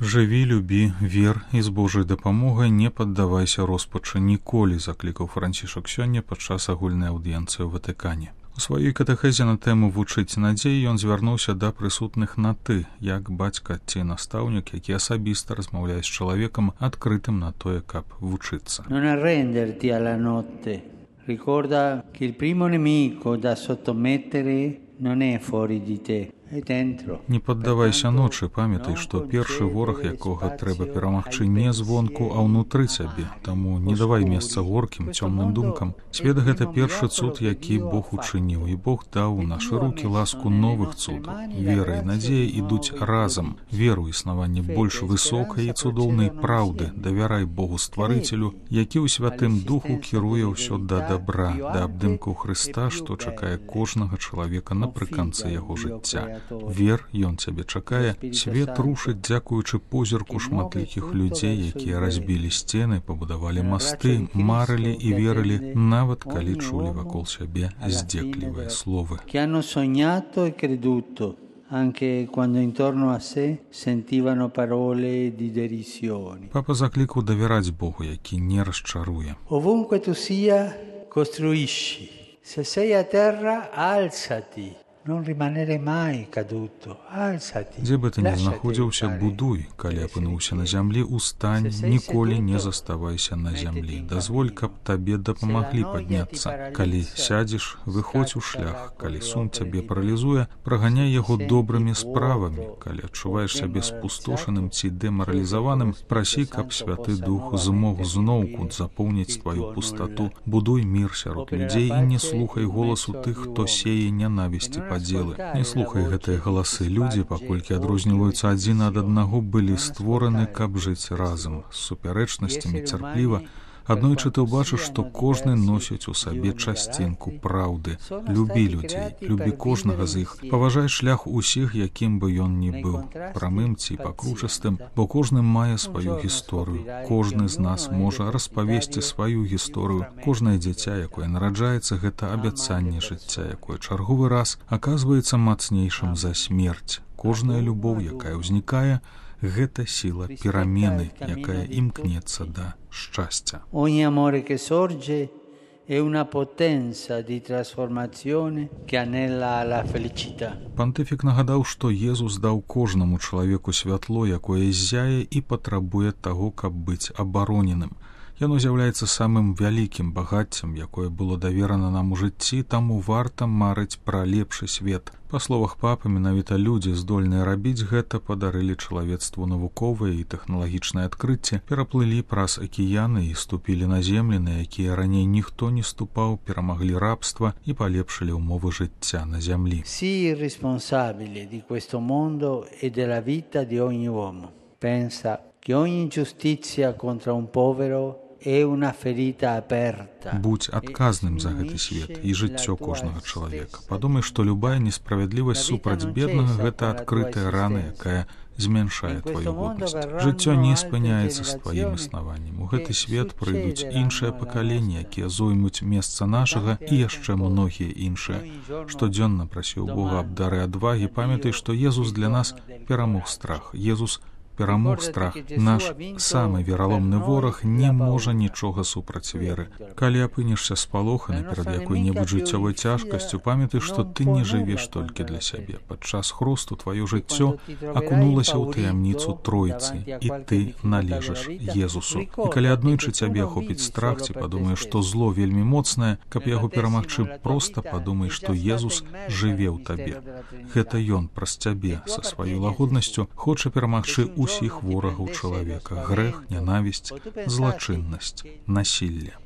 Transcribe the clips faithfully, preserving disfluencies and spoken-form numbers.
Жыві, любі, вер і з Божай дапамогай не паддавайся роспачы ніколі, заклікаў Францішак сёння падчас агульнай аўдыенцыі ў Ватыкане. У сваёй катэхезе на тэму «Вучыць надзеі» ён звярнуўся да прысутных на «ты», як бацька ці настаўнік, які асабіста размаўляе з чалавекам, адкрытым на тое, каб вучыцца. Non arrenderti alla notte. Ricorda che il primo nemico da sottomettere non è fuori di te. Не паддавайся ночы, памятай, што першы вораг, якога трэба перамагчы не звонку, а ўнутры цябе. Таму не давай месца горкім, цёмным думкам. Свет — гэта першы цуд, які Бог учыніў, і Бог даў у нашы рукі ласку новых цудаў. Вера і надзея ідуць разам. Веру існаванне больш высокай і цудоўнай праўды. Давярай Богу Стварыцелю, які ў Святым Духу кіруе ўсё да дабра, да абдымку Хрыста, што чакае кожнага чалавека напрыканцы яго жыцця. Вер, ён цябе чакае, свет рушыць дзякуючы позірку шматлікіх людзей, якія разбілі сцены, пабудавалі масты, марылі і верылі, нават калі чулі вакол сябе здзеклівыя словы. Anche quando intorno a sé sentivano parole di derisione. Папа закликав довіряти Богу, який не розчарує. Ovunque tu sia, costruisci. Se sei a terra, alzati. Non rimanere mai caduto. Alzati. Дзе бы ты не знаходзіўся, будуй. Калі апынуўся на зямлі, устань, ніколі не заставайся на зямлі. Дазволь, каб табе дапамаглі падняцца. Калі сядзеш, выходзь у шлях. Калі сум цябе паралізуе, праганяй яго добрымі справамі. Калі адчуваеш сябе спустошаным ці дэмаралізаваным, прасі, каб Святы Дух змог зноўку запоўніць тваю пустату. Будуй мір сярод людзей і не слухай голасу тых, хто сее нянавісці падзелы. Не слухай гэтыя галасы. Людзі, паколькі адрозніваюцца адзін ад аднаго, былі створаны, каб жыць разам, з супярэчнасцямі, цярпліва. Аднойчы ты ўбачыш, што кожны носіць у сабе часцінку праўды. Любі людзей, любі кожнага з іх, паважай шлях усіх, якім бы ён ні быў, прамым ці пакручастым, бо кожны мае сваю гісторыю. Кожны з нас можа распавесці сваю гісторыю. Кожнае дзіця, якое нараджаецца, гэта абяцанне жыцця, якое чарговы раз аказваецца мацнейшым за смерць. Кожная любоў, якая ўзнікае, гэта сіла перамены, якая імкнецца да шчасця. Ogni amore che sorge è una potenza di trasformazione che anela alla felicità. Пантыфік нагадаў, што Езус даў кожнаму чалавеку святло, якое ззяе і патрабуе таго, каб быць абароненым. Яно з'яўляецца самым вялікім багаццем, якое было даверана нам у жыцці, таму варта марыць пра лепшы свет. Па словах папы, менавіта людзі, здольныя рабіць гэта, падарылі чалавецтву навуковыя і тэхналагічныя адкрыцці, пераплылі праз акіяны і ступілі на землі, на якія раней ніхто не ступаў, перамаглі рабства і палепшылі ўмовы жыцця на зямлі. Sii responsabile di questo mondo e della vita di ogni uomo. Pensa che ogni ingiustizia contro un povero è una ferita aperta. Будь адказным за гэты свет і жыццё кожнага чалавека. Падумай, што любая несправядлівасць супраць беднага — гэта адкрытая рана, якая змяншае тваю годнасць. Жыццё не спыняецца з тваім існаваннем. У гэты свет прыйдуць іншыя пакаленні, якія зоймуць месца нашага і яшчэ многія іншыя. Штодзённа прасіў Бога аб дары адвагі. Памятай, што Езус для нас перамог страх. Езус перамог страх. Наш самы вераломны вораг не можа нічога супраць веры. Калі апынешся спалоханы перад якой-небудзь жыццёвай цяжкасцю, памятай, што ты не жывеш толькі для сябе. Падчас хрусту тваё жыццё акунулася ў таямніцу Тройцы, і ты належыш Езусу. І калі аднойчы цябе ахопіць страх, ці падумаеш, што зло вельмі моцнае, каб яго перамагчы, проста падумай, што Езус жыве ў табе. Гэта ён праз цябе са сваёй лагоднасцю хоча перамагчы усіх ворагаў чалавека: грэх, нянавісць, злачыннасць, насілле.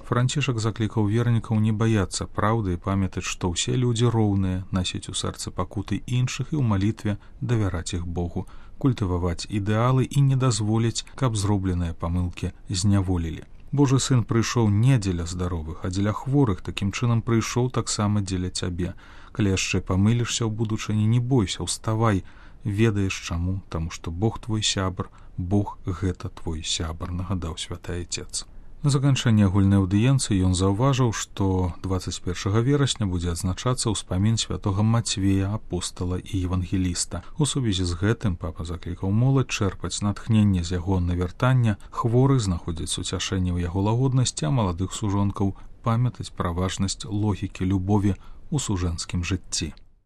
Францішак заклікаў вернікаў не баяцца праўды і памятаць, што ўсе людзі роўныя, насіць у сэрцы пакуты іншых і ў малітве давяраць іх Богу, культываваць ідэалы і не дазволіць, каб зробленыя памылкі зняволілі. Божы сын прыйшоў не дзеля здаровых, а дзеля хворых, такім чынам прыйшоў таксама дзеля цябе. Калі яшчэ памылішся ў будучыні, не бойся, уставай, ведаеш чаму, таму што Бог твой сябар, Бог гэта твой сябар, нагадаў святы Айцец. На заканчэнне агульнай аўдыенцыі ён заўважыў, што дваццаць першага верасня будзе адзначацца ўспамін святога Мацвея, апостала і евангеліста. У сувязі з гэтым папа заклікаў моладзь чэрпаць натхненне з яго навяртання, хворых знаходзіць суцяшэнне ў яго лагоднасці, а маладых сужонкаў памятаць пра важнасць логікі любові ў сужэнскім жыцці.